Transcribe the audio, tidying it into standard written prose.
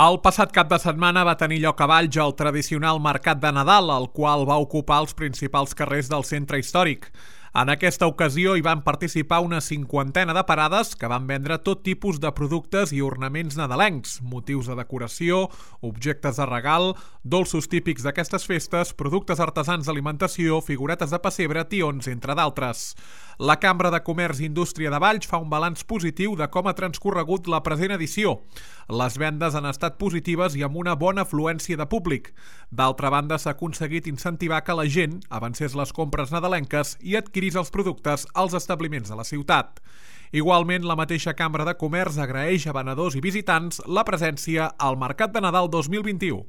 El passat cap de setmana va tenir lloc a Valls el tradicional Mercat de Nadal, el qual va ocupar els principals carrers del centre històric. En aquesta ocasió hi van participar una 50ena de parades que van vendre tot tipus de productes i ornaments nadalencs, motius de decoració, objectes de regal, dolços típics d'aquestes festes, productes artesans d'alimentació, figuretes de pessebre, tions, entre d'altres. La Cambra de Comerç i Indústria de Valls fa un balanç positiu de com ha transcorregut la present edició. Les vendes han estat positives i amb una bona afluència de públic. D'altra banda, s'ha aconseguit incentivar que la gent avancés les compres nadalenques i adquirís els productes als establiments de la ciutat. Igualment, la mateixa Cambra de Comerç agraeix a venedors i visitants la presència al Mercat de Nadal 2021.